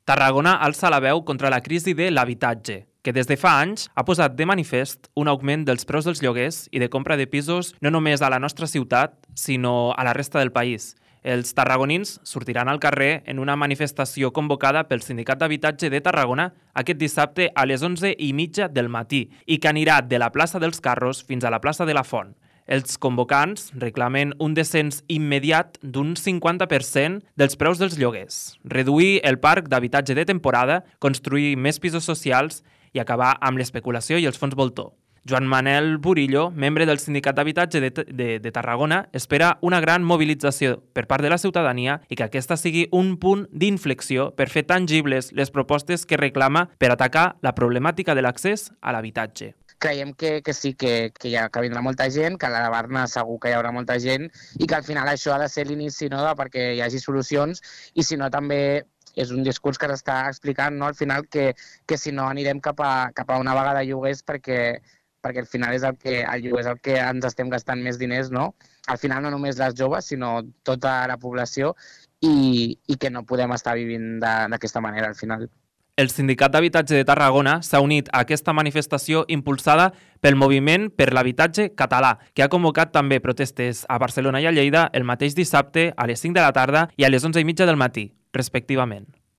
Tarragona alça la veu contra la crisi de l'habitatge, que des de fa anys ha posat de manifest un augment dels preus dels lloguers i de compra de pisos no només a la nostra ciutat, sinó a la resta del país. Els tarragonins sortiran al carrer en una manifestació convocada pel Sindicat d'Habitatge de Tarragona aquest dissabte a les 11:30 del matí i que anirà de la plaça dels Carros fins a la plaça de la Font. Els convocants reclamen un descens immediat d'un 50% dels preus dels lloguers, reduir el parc d'habitatge de temporada, construir més pisos socials i acabar amb l'especulació i els fons voltor. Joan Manel Burillo, membre del Sindicat d'Habitatge de Tarragona, espera una gran mobilització per part de la ciutadania i que aquesta sigui un punt d'inflexió per fer tangibles les propostes que reclama per atacar la problemàtica de l'accés a l'habitatge. Creiem que sí, que vindrà molta gent, que a la Barna segur que hi haurà molta gent i que al final això ha de ser l'inici, no?, perquè hi hagi solucions i si no també és un discurs que s'està explicant, no?, al final que si no anirem cap a una vaga de lloguers perquè al final és el lloguer és el que ens estem gastant més diners, no? Al final no només les joves, sinó tota la població i que no podem estar vivint d'aquesta manera al final. El Sindicat d'Habitatge de Tarragona s'ha unit a aquesta manifestació impulsada pel Moviment per l'Habitatge Català, que ha convocat també protestes a Barcelona i a Lleida el mateix dissabte a les 5 de la tarda i a les 11:30 del matí, respectivament.